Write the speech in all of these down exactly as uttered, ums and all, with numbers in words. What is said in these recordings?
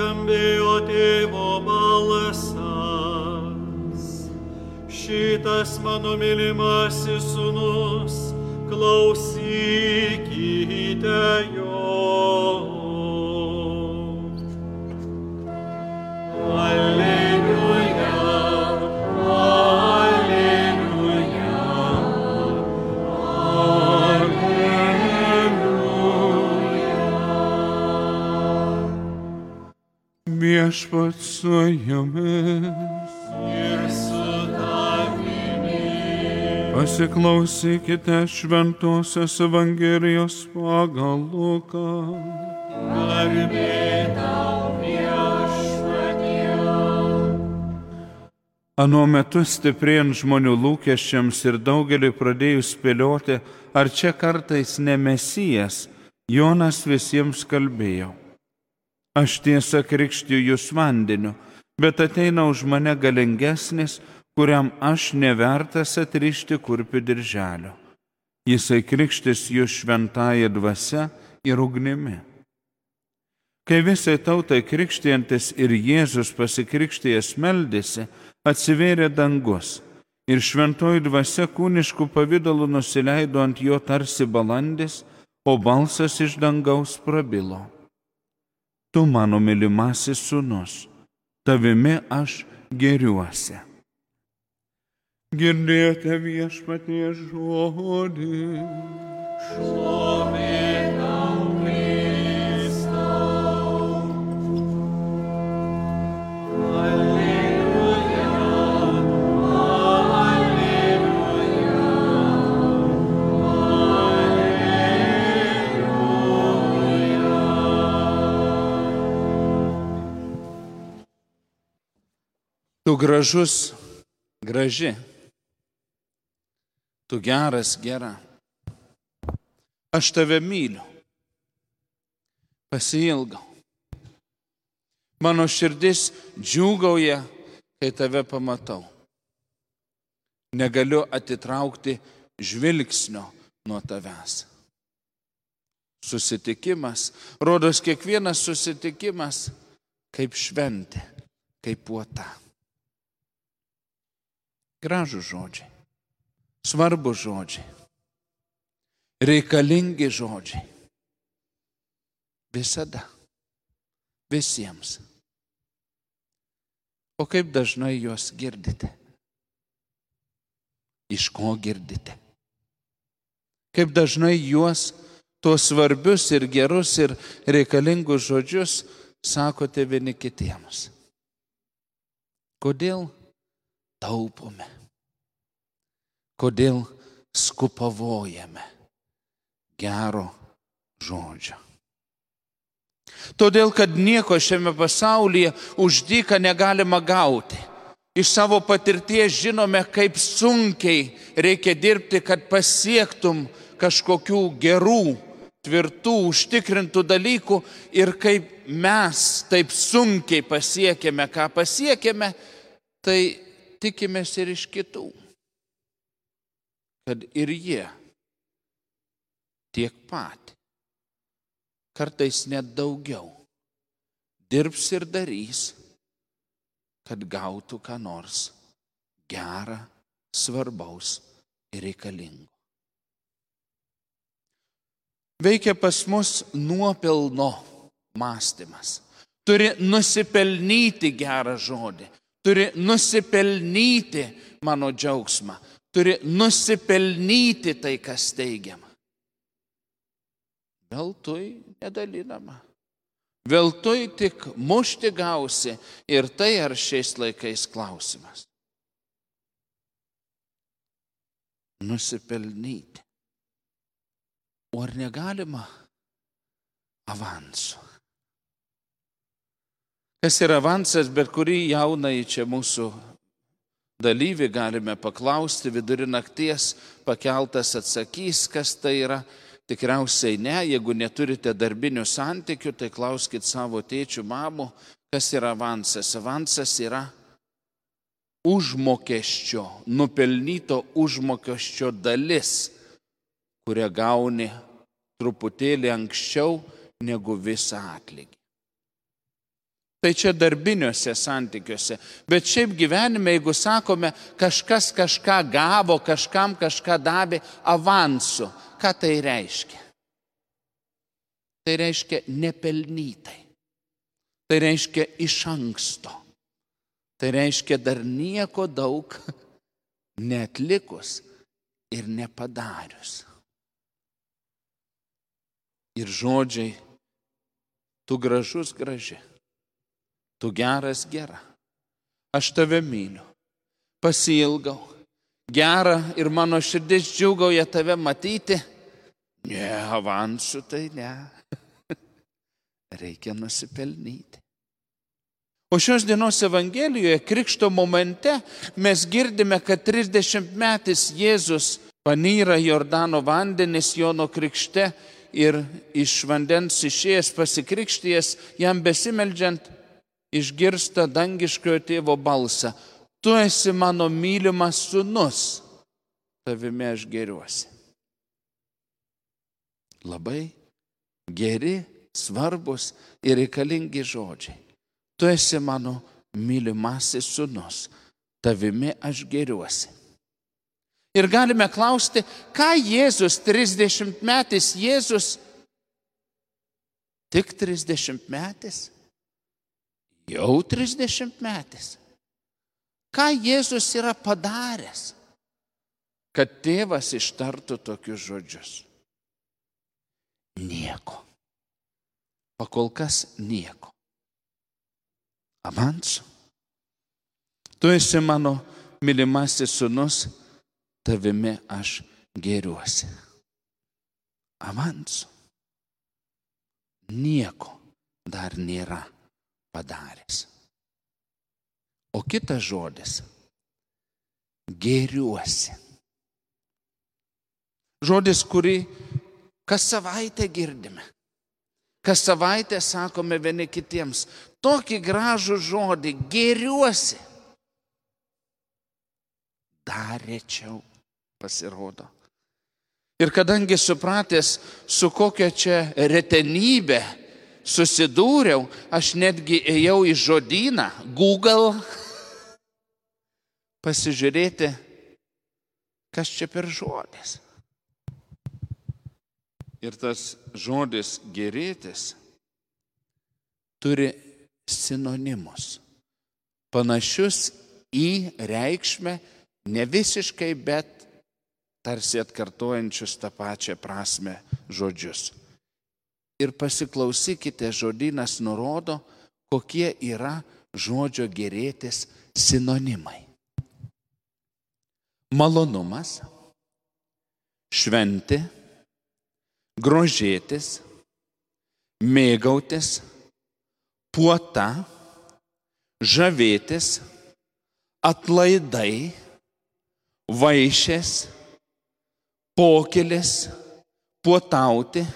nuskambėjo tėvo balsas. Šitas mano mylimasis sūnus, klausykite jo. Alleluja, alleluja, alleluja. Viešpats su jumis. Ir su tavimi. Pasiklausykite Šventosios Evangelijos pagal Luką. Garbė tau, Viešpatie. Anuo metu stiprėjant žmonių lūkesčiams ir daugeliui pradėjus spėlioti, ar čia kartais ne Mesijas, Jonas visiems kalbėjo: Aš tiesa krikštiju jūs vandeniu, bet ateina už mane galingesnis, kuriam aš nevertas atrišti kurpių dirželio. Jisai krikštis jūs šventąja dvasia ir ugnimi. Kai visai tautai krikštijantis ir Jėzus pasikrikštijęs meldėsi, atsivėrė dangus ir šventoji dvasia kūniškų pavidalų nusileido ant jo tarsi balandis, o balsas iš dangaus prabilo: Tu mano mylimasis sūnus, tavimi aš gėriuosi. Girdėjote Viešpaties žodį. Šlovė tau, Kristau. Alleluja, alleluja, alleluja. Tu gražus, graži. Tu geras, gera. Aš tave myliu. Pasiilgau. Mano širdis džiūgauja, kai tave pamatau. Negaliu atitraukti žvilgsnio nuo tavęs. Susitikimas, rodos kiekvienas susitikimas kaip šventė, kaip puota. Gražų žodžiai. Svarbus žodžiai, reikalingi žodžiai. Visada, visiems. O kaip dažnai juos girdite? Iš ko girdite? Kaip dažnai juos, tuos svarbius ir gerus ir reikalingus žodžius sakote vieni kitiems? Kodėl taupome? Kodėl skupavojame gero žodžio? Todėl, kad nieko šiame pasaulyje už dyką negalima gauti. Iš savo patirties žinome, kaip sunkiai reikia dirbti, kad pasiektum kažkokių gerų, tvirtų, užtikrintų dalykų ir kaip mes taip sunkiai pasiekėme, ką pasiekėme, tai tikimės ir iš kitų. Kad ir jie tiek pat, kartais net daugiau, dirbs ir darys, kad gautų ką nors gerą, svarbaus ir reikalingo. Veikia pas mus nuopelno mąstymas. Turi nusipelnyti gerą žodį, turi nusipelnyti mano džiaugsmą. Turi nusipelnyti tai, kas teigiama. Veltui nedalinama. Veltui tik mušti gausi ir tai ar šiais laikais klausimas. Nusipelnyti. O ar negalima avansu? Kas yra avansas, bet kurį jaunąjį čia mūsų dalyvį galime paklausti, vidury nakties pakeltas atsakys, kas tai yra. Tikriausiai ne, jeigu neturite darbinių santykių, tai klauskit savo tėčių, mamų, kas yra avansas. Avansas yra užmokesčio, nupelnyto užmokesčio dalis, kurią gauni truputėlį anksčiau negu visą atlygį. Tai čia darbiniuose santykiuose. Bet šiaip gyvenime, jeigu sakome, kažkas kažką gavo, kažkam kažką davė avansu, ką tai reiškia? Tai reiškia nepelnytai. Tai reiškia iš anksto. Tai reiškia dar nieko daug neatlikus ir nepadarius. Ir žodžiai, tu gražus graži, tu geras gera, aš tave myliu, pasiilgau, gera ir mano širdis džiūgauja tave matyti. Ne, avansu tai ne. Reikia nusipelnyti. O šios dienos Evangelijoje, krikšto momente, mes girdime, kad trisdešimtmetis Jėzus panyra Jordano vandenis Jono krikšte ir iš vandens išėjęs pasikrikštijęs, jam besimeldžiant, išgirsta dangiškojo tėvo balsą. Tu esi mano mylimas sūnus, tavimi aš gėriuosi. Labai geri, svarbus ir reikalingi žodžiai. Tu esi mano mylimasis sūnus, tavimi aš gėriuosi. Ir galime klausti, ką Jėzus, trisdešimtmetis Jėzus, tik trisdešimtmetis, jau trisdešimtmetis. Ką Jėzus yra padaręs, kad tėvas ištartų tokius žodžius? Nieko. Pakol kas nieko. Avansu. Tu esi mano mylimasis sūnus, tavimi aš gėriuosi. Avansu. Nieko dar nėra padaręs. O kitas žodis – gėriuosi. Žodis, kurį kas savaitę girdime. Kas savaitę sakome vieni kitiems. Tokį gražų žodį – gėriuosi. Dar rečiau pasirodo. Ir kadangi supratęs, su kokia čia retenybė susidūriau, aš netgi ėjau į žodyną, Google, pasižiūrėti, kas čia per žodis. Ir tas žodis gėrėtis turi sinonimus, panašius į reikšmę, ne visiškai, bet tarsi atkartojančius tą pačią prasme žodžius. Ir pasiklausykite, žodynas nurodo, kokie yra žodžio gėrėtis sinonimai. Malonumas, šventė, grožėtis, mėgautis, puota, žavėtis, atlaidai, vaišės, pokylis, puotauti,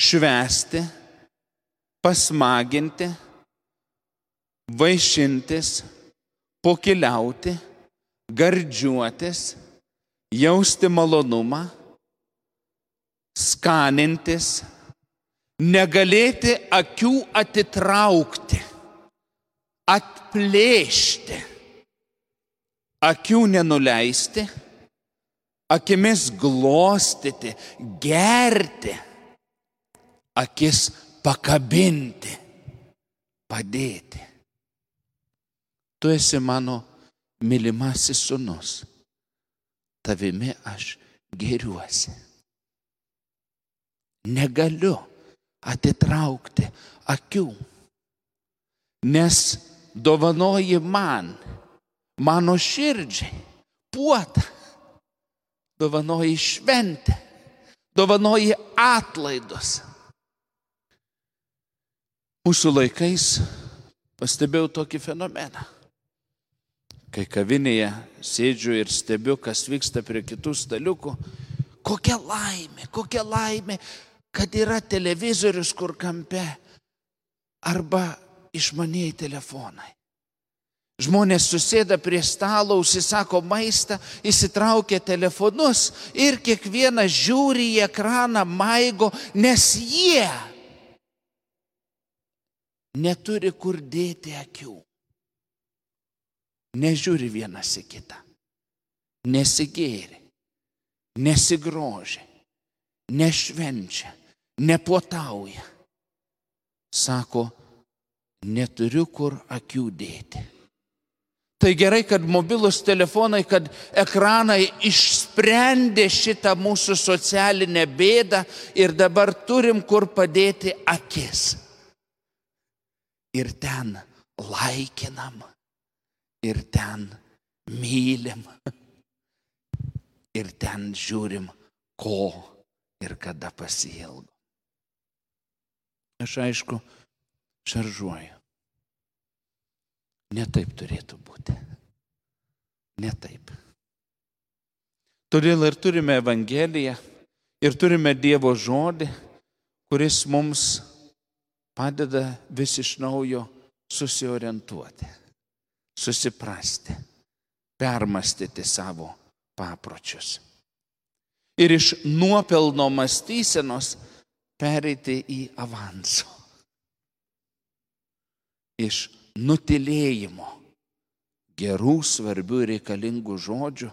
švęsti, pasmaginti, vaišintis, pokyliauti, gardžiuotis, jausti malonumą, skanintis, negalėti akių atitraukti, atplėšti, akių nenuleisti, akimis glostyti, gerti, akis pakabinti, padėti. Tu esi mano mylimasis sūnus, tavimi aš gėriuosi. Negaliu atitraukti akių, nes dovanoji man, mano širdžiai, puotą, dovanoji šventę, dovanoji atlaidus. Mūsų laikais pastebėjau tokį fenomeną. Kai kavinėje sėdžiu ir stebiu, kas vyksta prie kitų staliukų, kokia laimė, kokia laimė, kad yra televizorius kur kampe arba išmanieji telefonai. Žmonės susėda prie stalo, užsisako maistą, įsitraukia telefonus ir kiekvienas žiūri į ekraną, maigo, nes jie neturi kur dėti akių. Nežiūri vienas į kitą. Nesigėri, nesigroži, nešvenčia, nepuotauja. Sako, neturiu kur akių dėti. Tai gerai, kad mobilus telefonai, kad ekranai išsprendė šitą mūsų socialinę bėdą ir dabar turim kur padėti akis. Ir ten laikinam, ir ten mylim, ir ten žiūrim, ko ir kada pasiilgom. Aš aišku, šaržuoju. Ne taip turėtų būti. Ne taip. Todėl ir turime Evangeliją, ir turime Dievo žodį, kuris mums padeda vis iš naujo susiorientuoti, susiprasti, permastyti savo papročius. Ir iš nuopelno mąstysenos pereiti į avanso. Iš nutilėjimo gerų, svarbių ir reikalingų žodžių,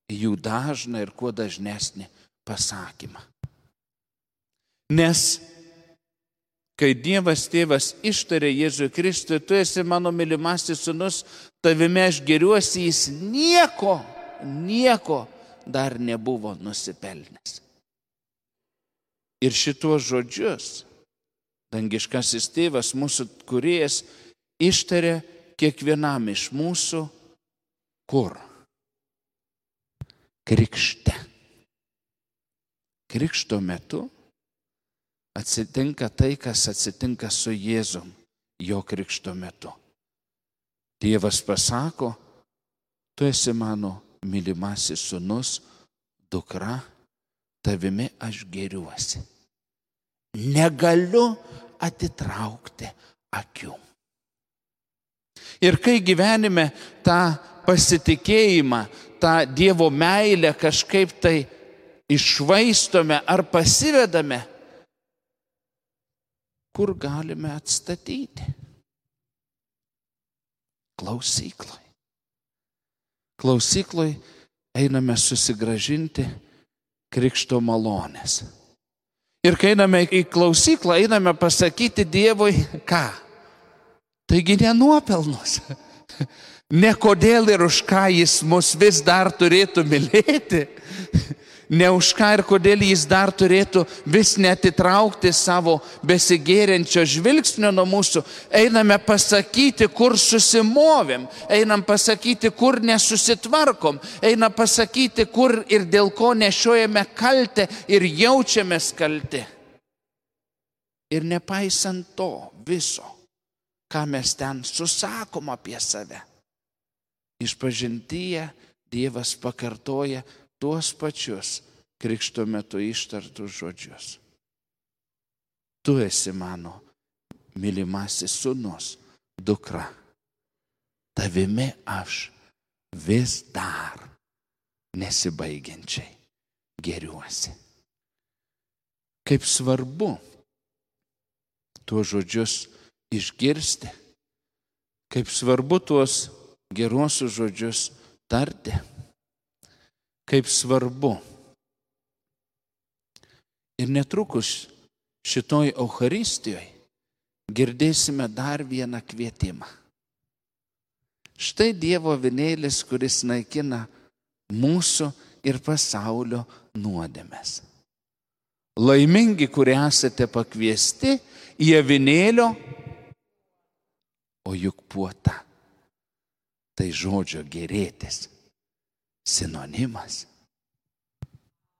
jų dažną ir kuo dažnesnį pasakymą. Nes kai Dievas Tėvas ištarė Jėzui Kristui, tu esi mano mylimasis sūnus, tavimi aš gėriuosi, jis nieko, nieko dar nebuvo nusipelnęs. Ir šituos žodžius dangiškasis Tėvas, mūsų kūrėjas, ištarė kiekvienam iš mūsų kur? Krikšte. Krikšto metu atsitinka tai, kas atsitinka su Jėzum jo krikšto metu. Dievas pasako, tu esi mano mylimasis sūnus, dukra, tavimi aš gėriuosi. Negaliu atitraukti akių. Ir kai gyvenime tą pasitikėjimą, tą Dievo meilę kažkaip tai iššvaistome ar pasivedame, kur galime atstatyti? Klausykloj. Klausykloj einame susigrąžinti krikšto malonės. Ir kai einame į klausyklą, einame pasakyti Dievui, ką? Taigi ne nuopelnus. Ne kodėl ir už ką jis mus vis dar turėtų mylėti. Ne už ką ir kodėl jis dar turėtų vis netitraukti savo besigėriančio žvilgsnio nuo mūsų. Einame pasakyti, kur susimovėm. Einam pasakyti, kur nesusitvarkom. Einam pasakyti, kur ir dėl ko nešiojame kaltę ir jaučiamės kalti. Ir nepaisant to viso, ką mes ten susakom apie save, išpažintyje Dievas pakartoja tuos pačius krikšto metu ištartus žodžius. Tu esi mano mylimasis sūnus, dukra. Tavimi aš vis dar nesibaigiančiai gėriuosi. Kaip svarbu tuos žodžius išgirsti, kaip svarbu tuos geruosius žodžius tarti, kaip svarbu. Ir netrukus šitoj Eucharistijoje girdėsime dar vieną kvietimą. Štai Dievo avinėlis, kuris naikina mūsų ir pasaulio nuodėmes. Laimingi, kurie esate pakviesti į avinėlio, o juk puota. Tai žodžio gėrėtis sinonimas.